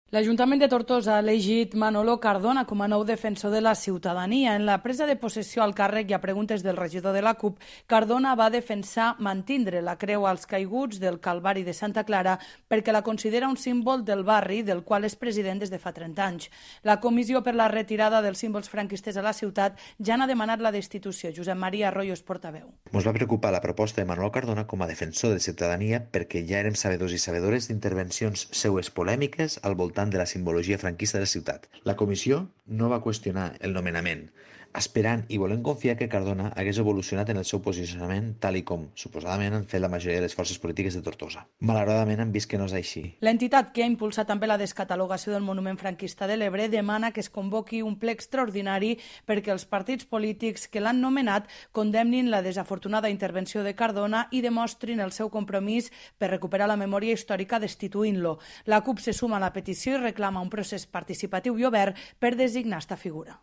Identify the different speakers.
Speaker 1: L'Ajuntament de Tortosa ha elegit Manolo Cardona com a nou defensor de la ciutadania. En la presa de possessió al càrrec i a preguntes del regidor de la CUP, Cardona va defensar mantindre la creu als caiguts del Calvari de Santa Clara perquè la considera un símbol del barri del qual és president des de fa 30 anys. La Comissió per la Retirada dels Símbols Franquistes a la ciutat ja n'ha demanat la destitució. Josep Maria Arroyo és portaveu.
Speaker 2: Ens va preocupar la proposta de Manolo Cardona com a defensor de la ciutadania perquè ja érem sabedors i sabedores d'intervencions seues polèmiques al voltant de la simbologia franquista de la ciutat. La comissió no va qüestionar el nomenament, esperant i volent confiar que Cardona hagués evolucionat en el seu posicionament tal i com, suposadament, han fet la majoria de les forces polítiques de Tortosa. Malauradament han vist que no és així.
Speaker 1: L'entitat que ha impulsat també la descatalogació del monument franquista de l'Ebre demana que es convoqui un ple extraordinari perquè els partits polítics que l'han nomenat condemnin la desafortunada intervenció de Cardona i demostrin el seu compromís per recuperar la memòria històrica destituint-lo. La CUP se suma a la petició i reclama un procés participatiu i obert per designar esta figura.